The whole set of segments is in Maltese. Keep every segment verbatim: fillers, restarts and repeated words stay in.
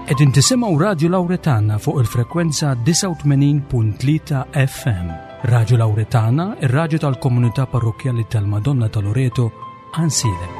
Qegħdin tisimgħu Radio Lauretana fuq il-frekwenza disgħa u tmenin punt tlieta F M. Radio Lauretana, ir-raġu tal-komunità parrokjali tal-Madonna ta' Loreto, Għajnsielem.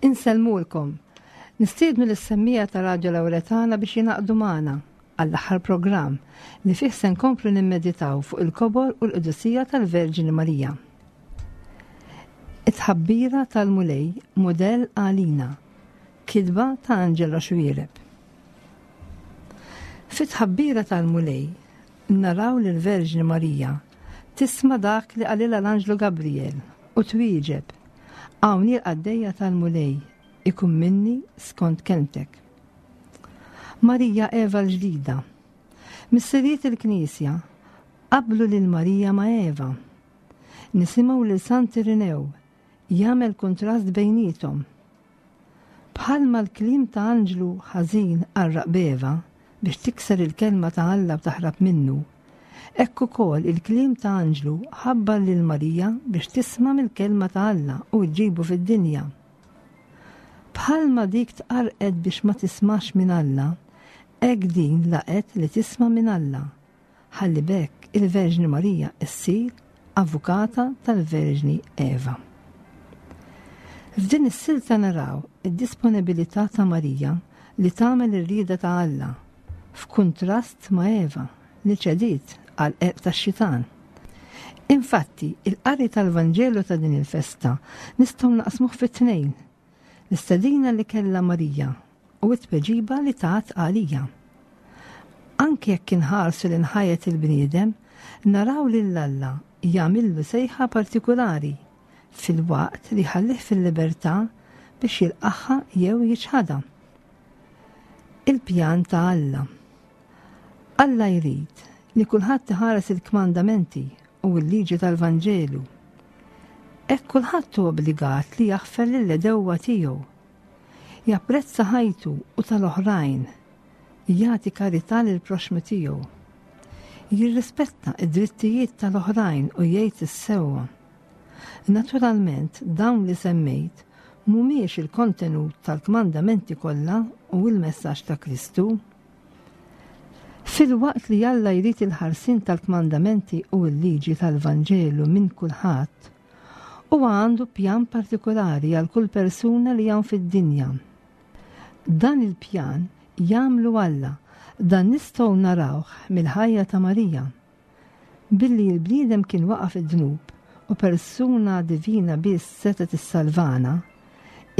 Insellmulkom. Nistiednu lis-semmiegħa ta' Radio Lauretana biex jingħaqdu magħna għall-aħħar programm li fih se nkomplu nimmeditaw fuq il-kobor u l-qdusija tal-Verġini Marija. It-tħabbira tal-Mulej, modell għalina. Kitba ta' Angelo Xuereb. Fit-tħabbira tal-Mulej naraw lil Verġni Marija tisma' dak li qalilha l-Anġlu Gabriel u twieġeb: "Hawn il-qaddejja tal-Mulej, ikun minni skont kelmtek." Marija Eva l-ġdida. Missirijiet il-Knisja qablu lil Marija ma' Eva. Nisimgħu lil Sant Irinew jagħmel kontrast bejniethom. Bħalma l-kliem ta' anġlu ħażin qarraq b'Eva biex tikser il-kelma ta' Alla u taħrab minnu, hekk ukoll il-kliem ta' anġlu ħabbar lil Marija biex tisma' mill-kelma ta' Alla u ġġibu fid-dinja. Bħalma dik tqarqet biex ma tismax minn Alla, hekk din laqgħet li tisma' minn Alla. Ħalli b'hekk il-Verġni Marija issir avukata tal-Verġni Eva. F'din is-silta naraw id-disponibilità ta' Marija li tagħmel ir-rieda ta' Alla, f'kuntrast ma' Eva li ċediet għal qerq tax-xitan. Infatti, il-qari tal-Vanġelu ta' din il-festa nistgħu naqsmuh fit-tnejn: l-istedina li kella Marija u t-tweġiba li tat għalija. Anke jekk inħarsu lejn ħajjet il-bniedem, naraw lil Alla jagħmillu sejħa partikulari filwaqt li ħallih fil-libertà biex jilqagħha jew jiċħadha. Il-pjan ta' Alla. Alla jrid li kulħadd iħares il-kmandamenti u l-liġi tal-Vanġelu. Hekk kulħadd hu obbligat li jaħfer lill-għedewwa tiegħu. Japprezza ħajtu u tal-oħrajn, jagħti karità lil proxmu tiegħu. Jirrispetta id-drittijiet tal-oħrajn u jgħid is-sewwa. Naturalment, dawn li semmejt mhumiex il-kontenut tal-kmandamenti kollha u il-messaġġ ta' Kristu. Filwaqt li Alla jrid il-ħarsin tal-kmandamenti u l-liġi tal-Vanġelu minn kulħadd, huwa għandu pjan partikolari għal kull persuna li hawn fid-dinja. Dan il-pjan jagħmlu Alla, dan nistgħu narawh mill-ħajja ta' Marija. Billi l-bniedem kien waqa' fid-dnub u persuna divina biss setgħet issalvana,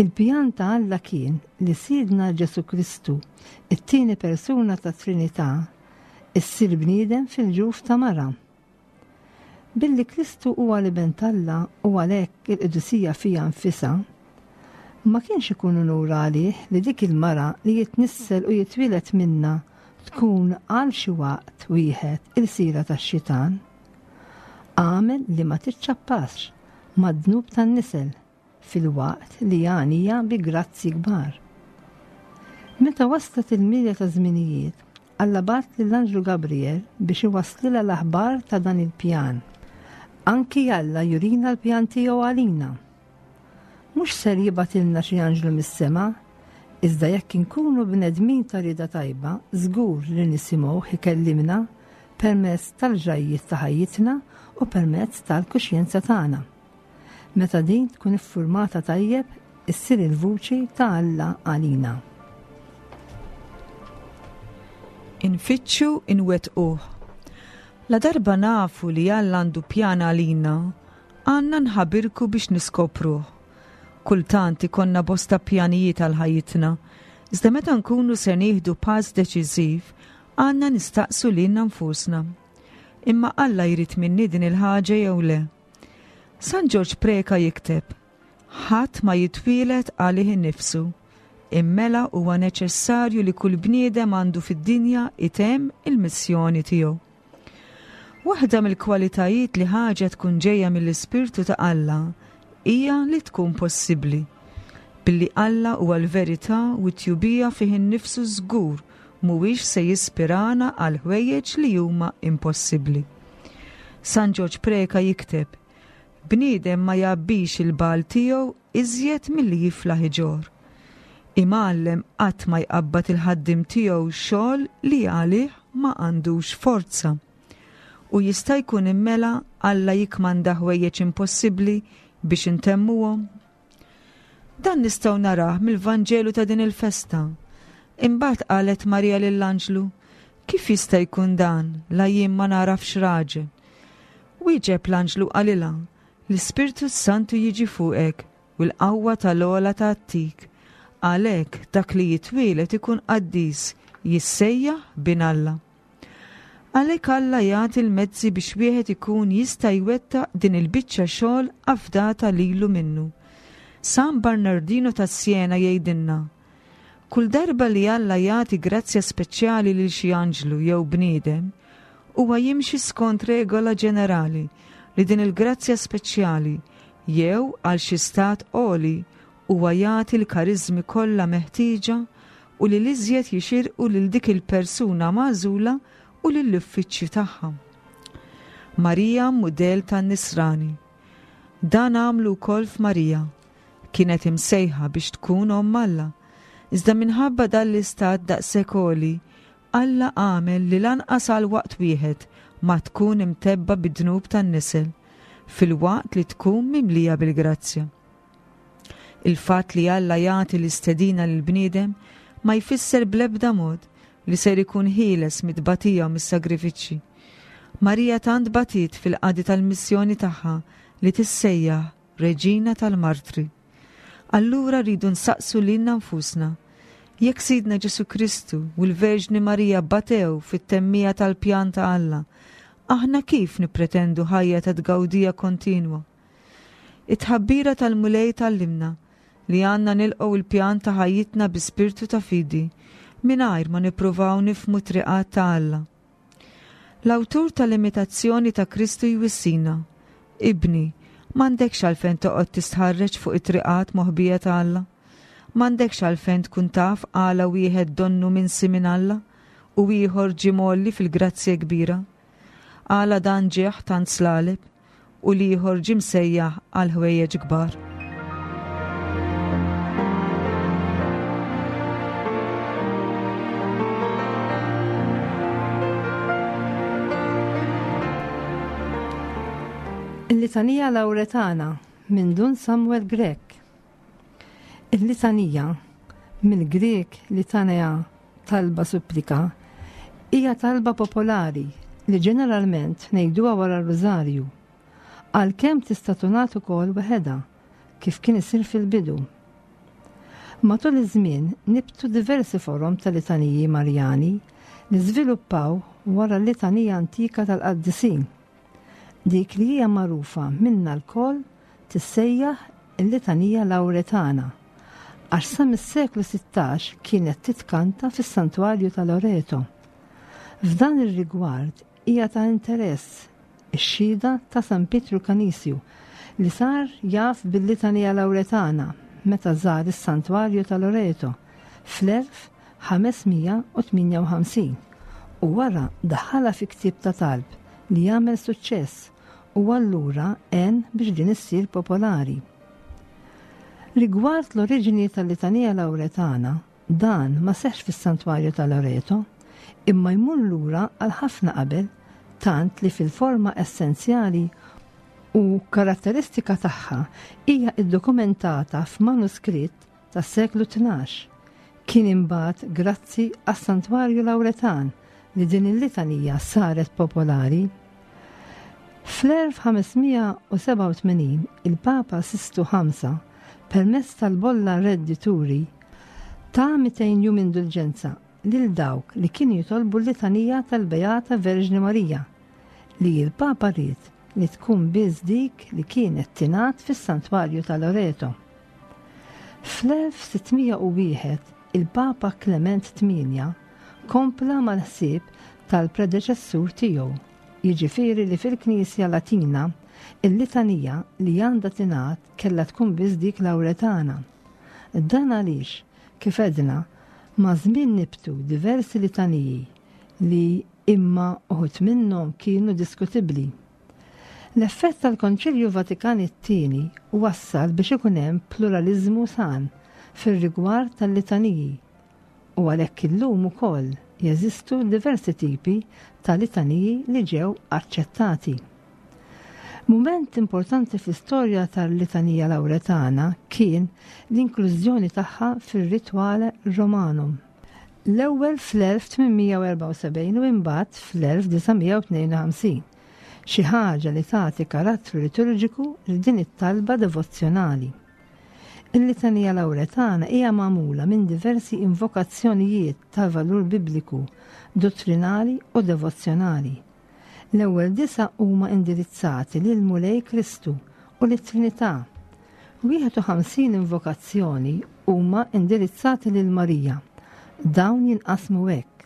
il-pjan ta' Alla kien li Sidna Ġesu Kristu, it-tieni persuna ta' Trinità, issir bniedem fil-ġuf ta' mara. Billi Kristu huwa l-Iben t'Alla u għalhekk il-qdusija fiha nfisha, ma kienx ikun unur għalih li dik il-mara li jitnissel u jitwieled minna tkun għal xi waqt wieħed ilsira tax-xitan? Għamel li ma tiċċappax mad-dnub tan-nisel filwaqt li għanija bi grazzi kbar. Meta waslet il-milja ta' żminijiet, Alla bagħat lill-Anġlu Gabriel biex iwasslilha l-aħbar ta' dan il-pjan. Anki Alla jurina l-pjan tiegħu għalina. Mhux ser jibgħatilna xi anġlu mis-sema, iżda jekk inkunu bnedmin ta' rieda tajba, żgur li nisimgħu ikellimna permezz tal-ġrajjiet ta' ħajjitna u permezz tal-kuxjenza tagħna. Meta din tkun iffurmata tajjeb, issir il-vuċi ta' Alla għalina. Infittxu inwettquh. La darba nafu li Alla għandu pjan għalina, għandna nħabirku biex niskopruh. Kultant ikollna bosta pjanijiet għal ħajjitna, iżda meta nkunu se nieħdu pass deċiżiv, għandna nistaqsu lilna nfusna. Imma Alla jrid minni din il-ħaġa jew le? San Ġorġ Preka jikteb, ħadd ma jitwieled għalih innifsu, immela huwa neċessarju li kull bniedem għandu fid-dinja itemm il-missjoni tiegħu. Waħda mill-kwalitajiet li ħaġa tkun ġejja mill-Ispirtu ta' Alla hija li tkun possibbli. Billi Alla huwa l-verità u t-tjubija fih innifsu żgur mhuwiex se jispirana għal ħwejjeġ li huma impossibbli. San Ġorġ Preka jikteb, bniedem ma jgħabbix il-bal tiegħu iżjed milli jiflaħ iġorr. Imgħallem qatt ma jqabbad il-ħaddiem tiegħu xogħol li għalih ma għandux forza. U jista' jkun immela Alla jikmanda ħwejjeġ impossibbli biex intemmuhom. Dan nistgħu narah mill-Vanġelu ta' din il-festa. Imbagħad qalet Marija lill-anġlu, kif jista' jkun dan la jien ma nagħrafx raġel? Wieġeb l-anġlu qalilha, l-Ispirtu Santu jiġi fuqek u l-qawwa tal-ogħla tgħattik. Għalhekk dak li jitwieled ikun qaddis, jissejjaħ bin Alla. Għalhekk Alla jagħti l-mezzi biex wieħed ikun jista' jwettaq din il-biċċa xogħol afdata lilu minnu. San Bernardino ta' Siena jgħidilna, kull darba li Alla jagħti grazzja speċjali lil xi anġlu jew bniedem, huwa jimxi skont regola ġenerali li din il-grazzja speċjali jew għal xi stat għoli huwa jagħti l-kariżmi kollha meħtieġa u li l-iżjed jixirqu lil dik il-persuna magħżula u lill-uffiċċju tagħha. Marija mudell tan-Nisrani. Dan għamlu wkoll f'Marija. Kienet imsejħa biex tkun omm Alla. Iżda minħabba dan l-istat daqshekk għoli, Alla għamel li lanqas għal waqt wieħed ma tkun imtebba bid-dnub tan-nisel, fil-waqt li tkun mimlija bil-grazzja. Il-fatt li Alla jagħti l-istedina lill-bniedem ma jfisser bl-ebda mod li ser ikun ħieles mit-tbatija u mis-sagrifiċċji. Marija tant batiet fil-qadi tal-missjoni tagħha li tissejjaħ Reġina tal-Martri. Allura rridu nsaqsu lilna nfusna, jekk Sidna Ġesu Kristu u l-Verġni Marija batew fit-temmija tal-pjan ta' Alla, aħna kif nippretendu ħajja ta' tgawdija kontinwa? It-tħabbira tal-Mulej tgħallimna li għandna nilqgħu il-pjan ta' ħajjitna bi spirtu ta' fidi, mingħajr ma nippruvaw nifhmu triqat ta' Alla. L-awtur tal-imitazzjoni ta' Kristu jwissina, ibni, m'għandekx għalfejn toqgħod tistħarreġ fuq it-triqat moħbija ta' Alla. M'għandekx għalfejn tkun taf għala wieħed donnu minsi minn Alla u ieħor ġie mgħolli fil-grazzja kbira. Għala dan ġieħ tant slaleb u l-ieħor ġie msejjaħ għal ħwejjeġ kbar. Il-Litanija Lawretana minn Dun Samuel Grech. Il-Litanija, mill-Grek litanea talba supplika, hija talba popolari li ġeneralment ngħiduha wara r-Rużarju, għalkemm tista' tingħad ukoll waħedha kif kien isir fil-bidu. Matul iż-żmien nibtu diversi forom ta' litaniji Marjani li żviluppaw wara l-litanija antika tal-qaddisin. Dik li hija magħrufa minna lkoll tissejjaħ il-litanija Lawretana, għax sa mis-seklu sittax kienet titkanta fis-Santwarju ta' Loreto. F'dan ir-rigward hija ta' interess ix-xhieda ta' San Pietru Kanisju li sar jaf bil-litanija Lawretana meta żar is-Santwarju ta' Loreto fl-elf ħames mija u tmienja u ħamsin u wara daħħalha fi ktieb ta' talb li jagħmel suċċess u allura għen biex din issir popolari. Rigward l-oriġini tal-litanija Lawretana, dan ma seħx fis-Santwarju ta' Loreto, imma jmur lura għal ħafna qabel tant li fil-forma essenzjali u karatteristika tagħha hija iddokumentata f'manuskritt tas-seklu tnax. Kien imbagħad grazzi għas-Santwarju Lawretan li din il-litanija saret popolari. Fl-elf ħames mija u sebgħa u tmenin il-Papa Sistu ħamsa, permezz tal-bolla Reddituri, ta' mitejn jum indulġenza lil dawk li kienu jitolbu l-litanija tal-Beata Verġni Marija, li l-Papa ried li tkun biss dik li kienet tingħad fis-Santwarju ta' Loreto. Fl-elf sittmija u wieħed il-Papa Clement tmienja kompla mal-ħsieb tal-predeċessur tiegħu, jiġifieri li fil-Knisja Latina il-litanija li għandha tingħad kellha tkun biss dik Lawretana. Dan għaliex, kif edna, ma' żmien nibtu diversi litaniji li imma uħud minnhom kienu diskutibbli. L-effett tal-Konċilju Vatikan it-tieni wassal biex ikun hemm pluralizmu san fir-rigward tal-litaniji, u għalhekk illum ukoll jeżistu diversi tipi ta' litaniji li ġew aċċettati. Mument importanti fl-istorja tal-litanija Lawretana kien l-inklużjoni tagħha fir-Rituale Romanum. L-ewwel fl-elf tmien mija u erbgħa u sebgħin u imbagħad fl-elf disa' mija u tnejn u ħamsin, xi ħaġa li tagħti karattru liturġiku lil din it-talba devozzjonali. Il-litanija Lawretana hija magħmula minn diversi invokazzjonijiet ta' valur bibliku, dottrinali u devozzjonali. L-ewwel disa huma indirizzati lil Mulej Kristu u lit-Trinità. Wieħed u ħamsin invokazzjoni huma indirizzati lil Marija. Dawn jinqasmu hekk.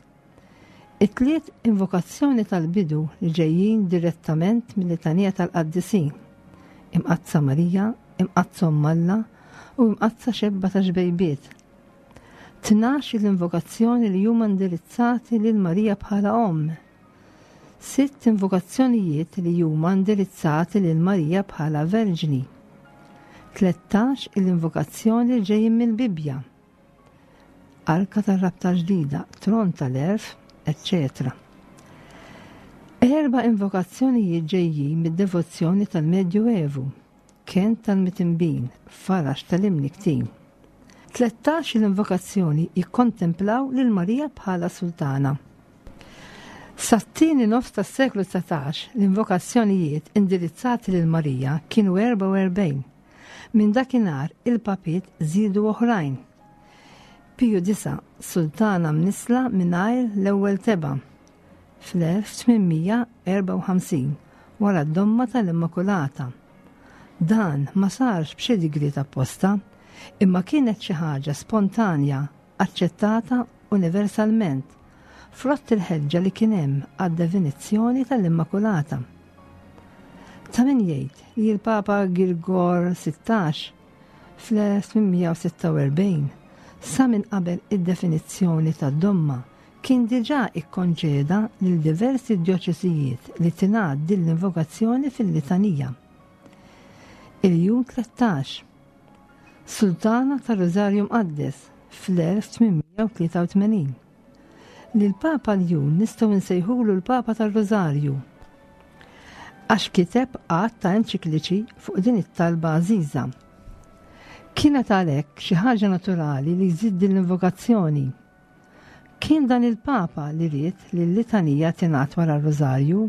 It-tliet invokazzjoni tal-bidu li ġejjin direttament mill-litanija tal-Qaddisin: Imqaddsa Marija, Imqaddsa Omm Alla u Imqaddsa Xebba ta' Xbejbiet. Tnax il-invokazzjoni li huma indirizzati lil Marija bħala omm. Sitt invokazzjonijiet li huma indirizzati lil Marija bħala Verġni. Tlettax il-invokazzjoni li ġejjin mill-Bibbja. Arka tar-Rabta Ġdida, Tron tal-Għerf, eċċetera. Erba' invokazzjonijiet ġejjin mid-devozzjoni tal-Medju Evu, Ken tal-Mitinbin, Faraġ tal-Imniktin. Tlettax il-invokazzjoni jikkontemplaw lil Marija bħala sultana. Sat-tieni nofs tas-seklu dsatax l-invokazzjonijiet indirizzati lil Marija kienu erbgħa u erbgħin. Minn dakinhar il-papiet żiedu oħrajn. Piju disa, sultana mnisla mingħajr l-ewwel teba, fl-elf tmien mija erbgħa u ħamsin, wara d-domma tal-Immakulata. Dan ma sarx b'xi digriet apposta, imma kienet xi ħaġa spontanja, aċċettata universalment, frott il-ħeġġa li kien hemm għad-definizzjoni tal-Immakulata. Ta' min jgħid li l-Papa Girgor sittax fl-elf tmien mija u sitta u erbgħin sa minn qabel id-definizzjoni tad-domma kien diġà ikkonċeda lil diversi djoċesijiet li tingħad din l-invokazzjoni fil-litanija. Il-jum tlettax, Sultana tar-Rożarju Mqaddes fl-elf tmien mija u tlieta u tmenin. Lil Papa Ljun nistgħu nsejħulu l-Papa tar-Rożarju għax kiteb għadd ta' enċikliċi fuq din it-talba għażiża. Kienet għalhekk xi ħaġa naturali li jżid din l-invokazzjoni. Kien dan il-Papa li ried li l-litanija tingħad wara r-Rożarju.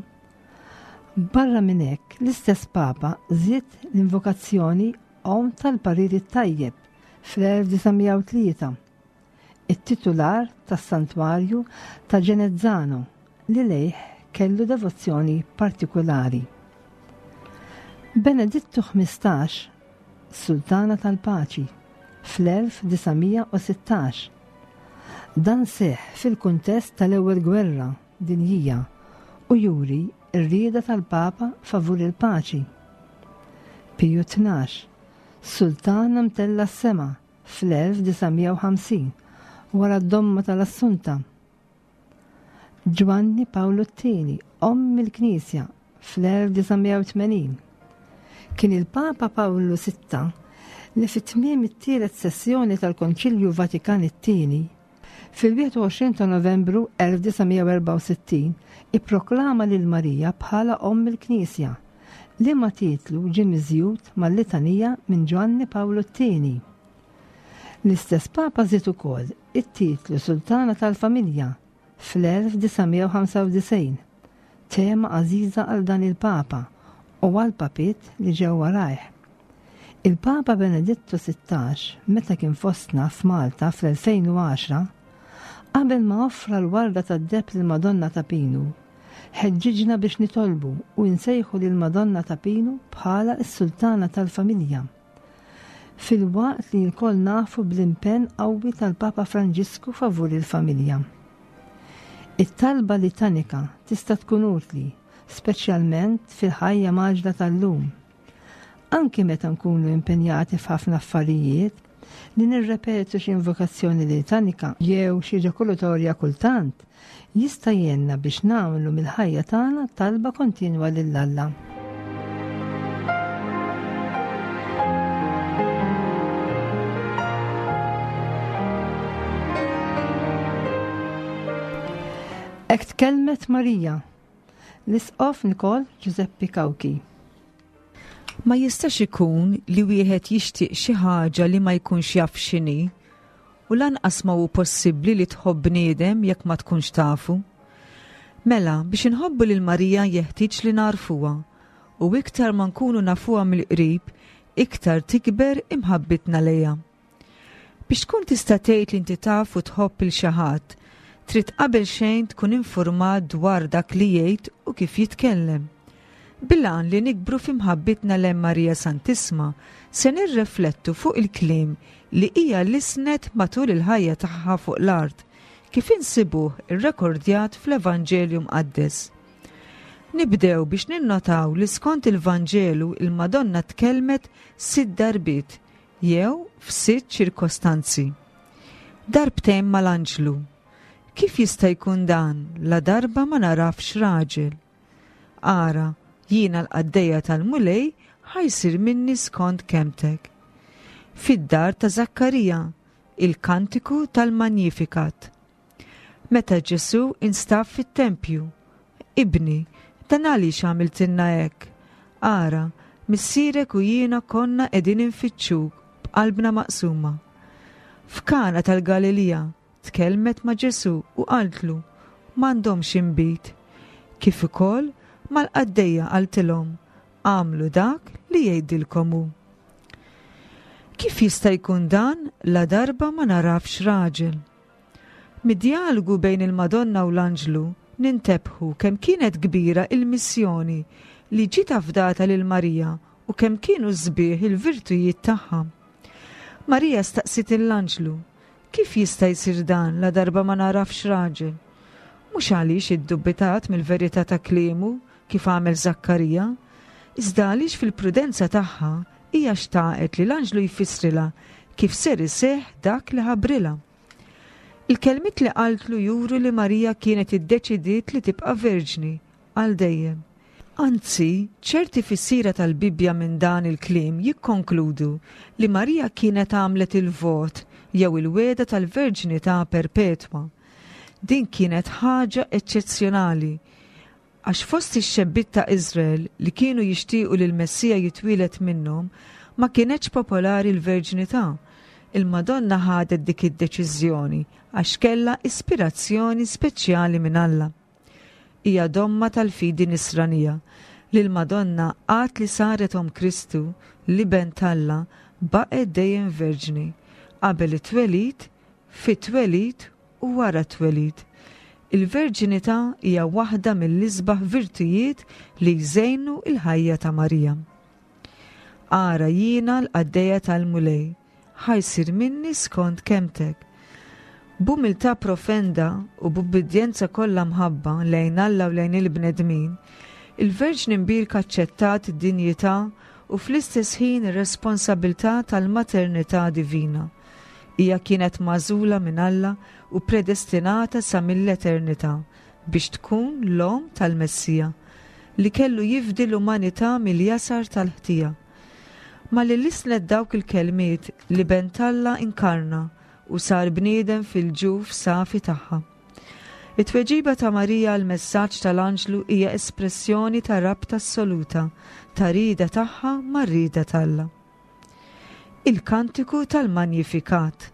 Barra minn hekk, l-istess Papa żied l-invokazzjoni Omm tal-Parir it-Tajjeb fl-elf disa' mija u tlieta, it-titular tas-Santwarju ta' Genezzano li lejh kellu devozzjoni partikolari. Benedittu ħmistax, Sultana tal-Paċi, fl-elf disa' mija u sittax. Dan seħ fil-kuntest tal-Ewwel Gwerra Dinjija u juri r-rieda tal-Papa favur il-paċi. Piju tnax, Sultana mtella s-sema fl-elf disa' mija u ħamsin wara d-domma tal-Assunta. Ġwanni Pawlu t-tieni, omm il-Knisja, fl-elf disa' mija u tmenin. Kien il-Papa Pawlu sitta li fit-tmiem it-tielet sessjoni tal-Konċilju Vatikan it-tieni Fil-wieħed u għoxrin ta' Novembru elf disa' mija u erbgħa u sittin ipproklama lil Marija bħala Omm il-Knisja, liema titlu ġie miżjud mal-litanija minn Ġwanni Pawlu t-tieni. L-istess Papa żied ukoll it-titlu Sultana tal-Familja fl-elf disa' mija u ħamsa u disgħin, tema għażiża għal dan il-Papa u għal papiet li ġew warajh. Il-Papa Benedittu sittax, meta kien fostna f'Malta fl-elfejn u għaxra, qabel ma offra l-warda tad-deheb lil Madonna ta' Pinu, ħeġġiġna biex nitolbu u nsejħu lil Madonna ta' Pinu bħala s-Sultana tal-Familja. Filwaqt li lkoll nafu bl-impenn qawwi tal-Papa Franġisku favur il-familja. It-talba litanika tista' tkun utli, speċjalment fil-ħajja maġla tal-lum. Anki meta nkunu impenjati f'ħafna affarijiet, li nirrepetu xi invokazzjoni litanika jew xi ġakulatorja kultant, jista' jgħinna biex nagħmlu mill-ħajja tagħna talba kontinwa lil Alla. Hekk tkellmet Marija, l-Isqof Nikol Giuseppe Cauchi. Ma jistax ikun li wieħed jixtieq xi ħaġa li ma jkunx jaf x'inhi, u lanqas ma hu possibbli li tħobb bniedem jekk ma tkunx tafu. Mela, biex inħobbu lil Marija jeħtieġ li narfuha, u iktar ma nkunu nafuha mill-qrib, iktar tikber imħabbitna lejha. Biex tkun tista' tgħid li inti taf u tħobb il xi ħadd, trid qabel xejn tkun informat dwar dak li jgħid u kif jitkellem. Bil-għan li nikbru f'imħabbitna lejn Marija Santissma, se nirreflettu fuq il-kliem li hija lisnet matul il-ħajja tagħha fuq l-art, kif insibuh irrekordjat fl-Evanġelju Mqaddes. Nibdew biex ninnotaw li skont il-Vanġelu il-Madonna tkellmet sitt darbiet jew f'sitt ċirkostanzi. Darbtejn mal-anġlu. Kif jista' jkun dan la darba ma narafx raġel? Ara, jiena l-qaddejja tal-Mulej ħajsir minni skont kemtek. Fid-dar ta' Zakkarija, il-kantiku tal-Magnificat. Meta Ġesu instab fit-tempju, Ibni, dan għaliex għamiltilna hekk? Ara, missierek u jiena konna qegħdin infittxuk b'qalbna maqsuma. F'Kana tal-Galilija tkellmet ma' Ġesu u qaltlu, m'għandhomx inbid. Kif ukoll mal-qaddejja qaltilhom, għamlu dak li jgħidilkom hu. Kif jista' jkun dan la darba ma narafx raġel? Mid-dialogu bejn il-Madonna u l-Anġlu nintebħu kemm kienet kbira il-missjoni li ġiet afdata lil Marija u kemm kienu sbieħ il-virtujiet tagħha. Marija staqsiet l-Anġlu, kif jista' jsir dan la darba ma narafx raġel? Mhux għaliex iddubbitat mill-verità ta' kliemu kif għamel Zakkarija, iżda għaliex fil-prudenza tagħha hija xtaqet li l-anġlu jfissrilha kif ser iseħħ dak li ħabrilha. Il-kelmiet li qaltlu juru li Marija kienet iddeċidiet li tibqa' verġni għal dejjem. Anzi, ċerti fissira tal-Bibbja minn dan il-kliem jikkonkludu li Marija kienet għamlet il-vot jew il-wegħda tal-verġnità perpetwa. Din kienet ħaġa eċċezzjonali, għax fost ix-xebbiet ta' Iżrael li kienu jixtiequ li l-Messija jitwieled minnhom ma kienetx popolari l-verġnità. Il-Madonna ħadet dik id-deċiżjoni għax kellha ispirazzjoni speċjali minn Alla. Hija domma tal-fidi nisranija li l-Madonna għad li saret om Kristu, l-Iben t'Alla, baqgħet dejjem verġni qabel it-twelid, fit-twelid u wara t-twelid. Il-verġinità hija waħda mill-isbaħ virtujiet li jżejnu il-ħajja ta' Marija. Ara jiena l-qaddejja tal-Mulej, ħajsir minni skont kemtek. B'umiltà profenda u b'ubbidjenza kollha mħabba lejn Alla u lejn il-bnedmin, il-Verġni Mbierka aċċettat id-dinjità u fl-istess ħin ir-responsabilità tal-maternità divina. Hija kienet magħżula minn Alla u predestinata sa mill-eternità biex tkun l-omm tal-Messija li kellu jifdi l-umanità mill-jasar tal-ħtija. Ma li lisnet dawk il-kelmiet li ben t'Alla inkarna u sar bniedem fil-ġuf safi tagħha. It-tweġiba ta' Marija għal messaġġ tal-anġlu hija espressjoni ta' rabta assoluta ta' rieda tagħha mar-rieda t'Alla. Il-Kantiku tal-Magnifikat.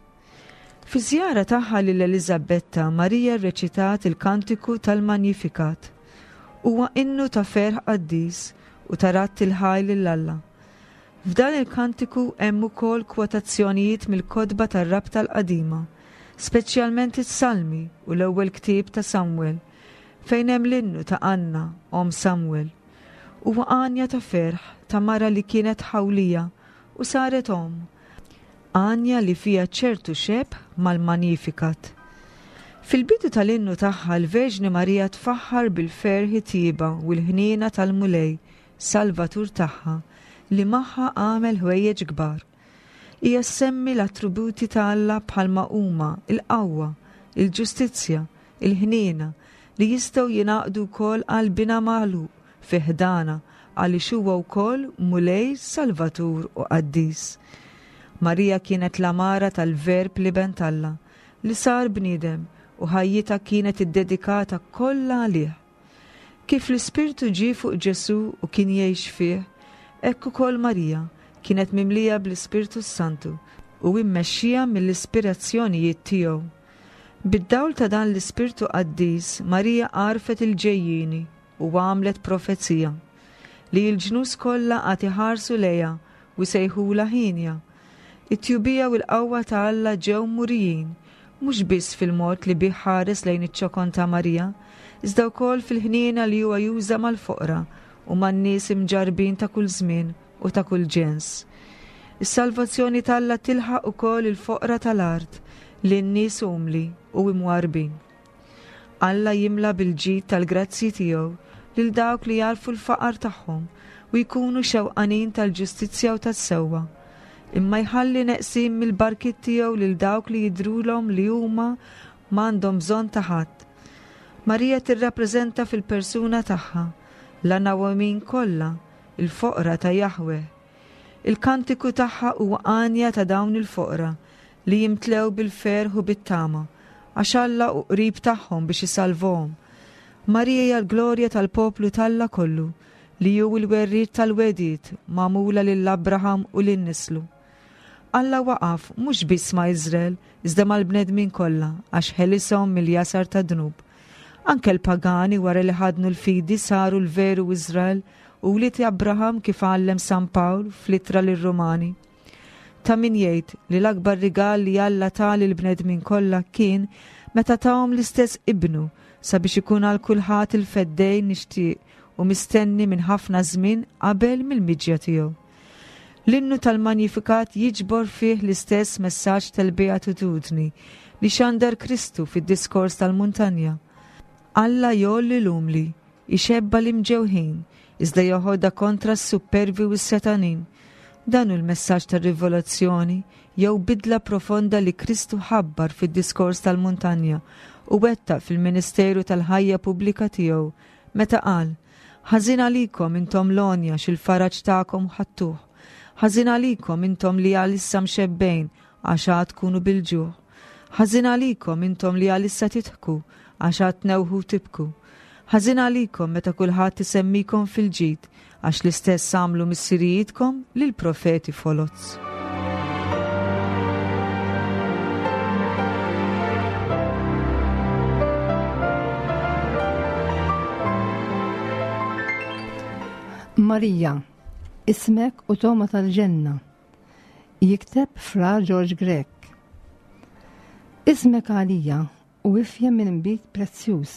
Fi żjara tagħha lil Eliżabetta, Marija rreċitat il-Kantiku tal-Magnifikat. Huwa innu ta' ferħ qaddis u ta' radd il-ħaj lil Alla. F'dan il-kantiku hemm ukoll kwotazzjonijiet mill-kotba tar-Rabta l-Qadima, speċjalment is-Salmi u l-ewwel ktieb ta' Samwel, fejn hemm l-innu ta' Anna, omm Samwel. Huwa għanja ta' ferħ ta' mara li kienet ħawlija u saret omm, għanja li fiha ċertu xebh mal-Magnificat. Fil-bidu tal-innu tagħha l-Verġni Marija tfaħħar bil-ferħ it-tjieba u l-ħniena tal-Mulej, Salvatur tagħha, li magħha għamel ħwejjeġ kbar. Hija ssemmi l-attributi ta' Alla bħalma huma il-qawwa, il-ġustizzja, il-ħniena li jistgħu jingħaqdu wkoll għal Binha magħluq fi ħdana għaliex huwa wkoll Mulej, Salvatur u Qaddis. Marija kienet l-amara tal-Verb l-Iben t'Alla li sar bniedem u ħajjitha kienet iddedikata kollha għalih. Kif l-Ispirtu ġie fuq Ġesù u kien jgħix fih, hekk ukoll Marija kienet mimlija bl-Ispirtu s-Santu u immexxija mill-ispirazzjonijiet tiegħu. Bid-dawl ta' dan l-Ispirtu Qaddis, Marija għarfet il-ġejjieni u għamlet profezija li l-ġnus kollha għad iħarsu lejha u jsejħulha ħienja. It-tjubija u l-qawwa ta' Alla ġew murijin, mhux biss fil-mod li bih ħares lejn iċ-ċokon ta' Marija, iżda wkoll fil-ħniena li huwa juża mal-foqra u man-nies imġarbin ta' kull żmien u ta' kull ġens. Is-salvazzjoni t'Alla tilħaq ukoll il-foqra tal-art lin-nies umli u imwarbin. Alla jimla bil-ġid tal-grazzji tiegħu lil dawk li jagħrfu l-faqar tagħhom u jkunu xewqanin tal-ġustizzja u tas-sewwa. Imma jħalli neqsin mill-barkiet tiegħu lil dawk li jidhrulhom li huma m'għandhom bżonn ta' ħadd. Marija tirrappreżenta fil-persuna tagħha l-anawamin kollha, il-foqra ta' Jahweh. Il-kantiku tagħha huwa għanja ta' dawn il-foqra li jimtlew bil-ferħ u bit-tama, għax Alla hu qrib tagħhom biex isalvahom. Marija hija l-glorja tal-poplu t'Alla kollu, li hu l-werriet tal-wegħdiet magħmula lil Abraham u lil nislu. Alla waqaf mhux biss ma' Iżrael, iżda mal-bnedmin kollha, għax ħelishom mill-jasar tad-dnub. Anke l-pagani wara li ħadnu l-fidi saru l-veru Iżrael u wlied Abraham kif għallem San Pawl fl-ittra lir-Rumani. Ta' min jgħid li l-akbar rigal li Alla ta lill-bnedmin kollha kien meta tahom l-istess ibnu sabiex ikun għal kulħadd il-feddej nixtieq u mistenni minn ħafna żmien qabel mill-miġja tiegħu. L-innu tal-Magnificat jiġbor fih l-istess messaġġ tal-Beatitudni li xandar Kristu fid-diskors tal-muntanja. Alla jgħolli l-umli, ixebba l-imġewħin, iżda joħodha kontra s-supervi u s-setanin. Dan hu l-messaġġ tar-rivelazzjoni jew bidla profonda li Kristu ħabbar fid-diskors tal-muntanja u wettaq fil-ministeru tal-ħajja pubblika tiegħu meta qal: Ħażin għalikom intom l-għonja x'il-faraġ tagħkom ħadtuh. Ħażin għalikom intom li għalissa mxebbejn għax għad tkunu bil-ġuħ. Ħażin għalikom intom li għalissa tidħku għax għad tnewħu tibku. Ħażin għalikom meta kulħadd isemmikom fil-ġid għax l-istess għamlu missirijietkom lill-profeti foloz. Marija, ismek u toma tal-ġenna, jikteb Fra George Grech. Ismek għalija u ifjem minn inbid prezzjuż,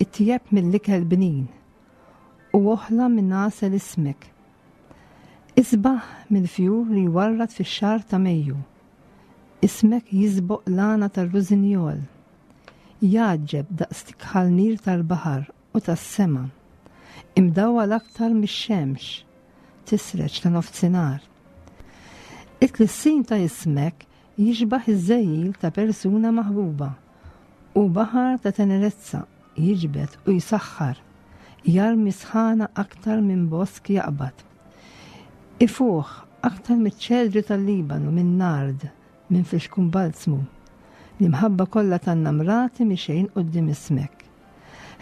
itjeb mill-ikel bnin, u oħla minn għasel ismek. Isbaħ mill-fjur li jwarrad fix-xahar ta' Mejju. Ismek jisboq l-għana tar-rużinjol. Jgħaġġeb daqs tikħal nir tal-baħar u tas-sema. Imdawwal aktar mix-xemx, tisreġ ta' nofsinhar. It-tlissin ta' ismek jixbaħ iż-żejjil ta' persuna maħbuba u baħar ta' tenerezza jiġbed u jsaħħar, jarmi sħana aktar minn bosk jaqbad. Ifuħ aktar miċ-ċedri tal-Libanu minn nard, minn flixkun balzmu. L-imħabba kollha tan-namrati mixejn quddiem ismek.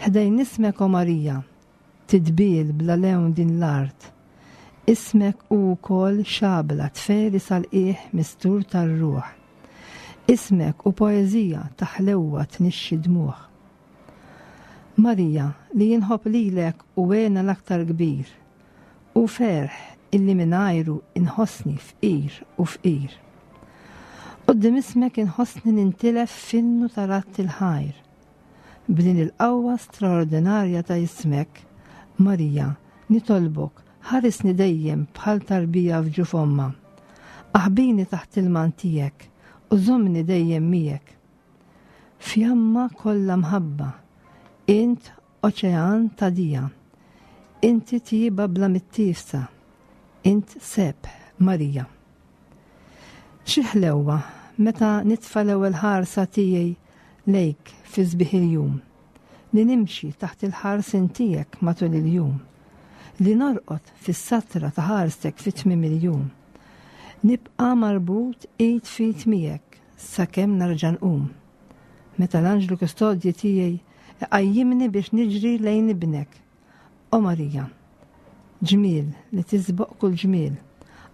Ħdejn ismek, o Marija, tidbil bla lewn din l-art. Ismek hu wkoll xabla tferi sal-qiegħ mistur tar-ruħ. Ismek hu poeżija ta' ħlewwa tnixxi dmugħ. Marija, li inħobb lilek hu hena l-aktar kbir, u ferħ illi mingħajru inħossni fqir u fqir. Quddiem ismek inħossni nintilef f'innu ta' radd il-ħajr. B'din il-qawwa straordinarja ta' ismek, Marija, nitolbok, ħarisni dejjem bħal tarbija f'ġuf ommha. Aħbini taħt il-mant tiegħek u żommni dejjem miegħek. Fjamma kollha mħabba, int oċean ta' dija, inti tjieba bla mittiefsa, int sebħ Marija. Xi ħlewwa meta nitfa' l-ewwel ħarsa tiegħi lejk fi sbieħ il-jum, li nimxi taħt il-ħarsien tiegħek matul il-jum, li norqod fis-satra ta' ħarstek fi tmiem il-jum. Nibqa' marbut id f'id miegħek sakemm nerġa' nqum. Meta l-anġlu kustodji tiegħi iqajjimni biex niġri lejn ibnek. O Marija, ġmiel li tisboq kull ġmiel,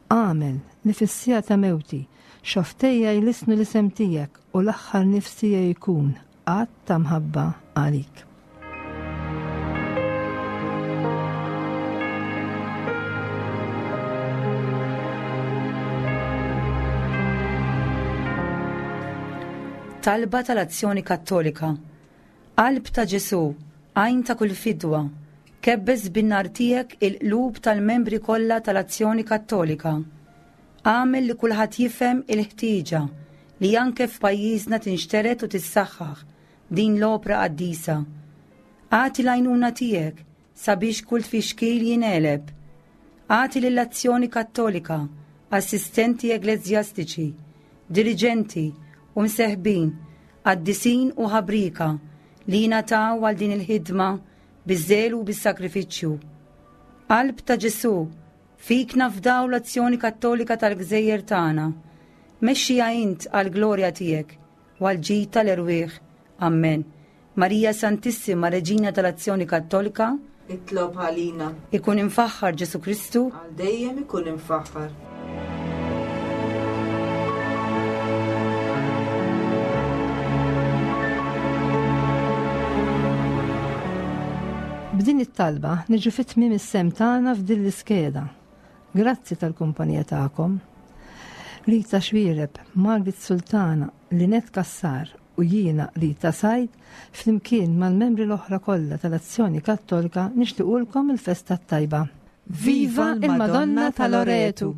agħmel li fis-siegħa ta' mewti xofftejja jlissnu l-isem tiegħek u l-aħħar nifs tiegħi jkun att ta' mħabba għalik. Talba tal-Azzjoni Kattolika. Qalb ta' Ġesù, għajn ta' kull fidwa, kebbes bin-nar tiegħek il-qlub tal-membri kollha tal-Azzjoni Kattolika. Agħmel li kulħadd jifhem il-ħtieġa li anke f'pajjiżna tinxtered u tissaħħaħ din l-opra qaddisa. Agħti l-għajnuna tiegħek sabiex kull tfixkil jingħeleb. Agħti lill-Azzjoni Kattolika, assistenti ekleżjastiċi, diriġenti u mseħbin, qaddisin u ħabrika li jingħataw għal din il-ħidma biż-żelu u bis-sagrifiċċju. Qalb ta' Ġesù, fik nafdaw l-Azzjoni Kattolika tal-Gżejjer tagħna. Mexxija int għall-glorja tiegħek u għall-ġid tal-erwieħ. Amen. Marija Santissima, Reġina tal-Azzjoni Kattolika, itlob għalina. Ikun imfaħħar Ġesù Kristu, għal dejjem ikun imfaħħar. B'din it-talba niġu fi tmiem is-sehem tagħna f'din l-iskeda. Grazzi tal-kumpanija tagħkom. Rita Xuereb, Margit Sultana, Linet Kassar u jiena Rita Said flimkien mal-membri l-oħra kollha tal-Azzjoni Kattolika nixtiequlkom il-festa t-tajba. Viva il-Madonna ta' Loretu!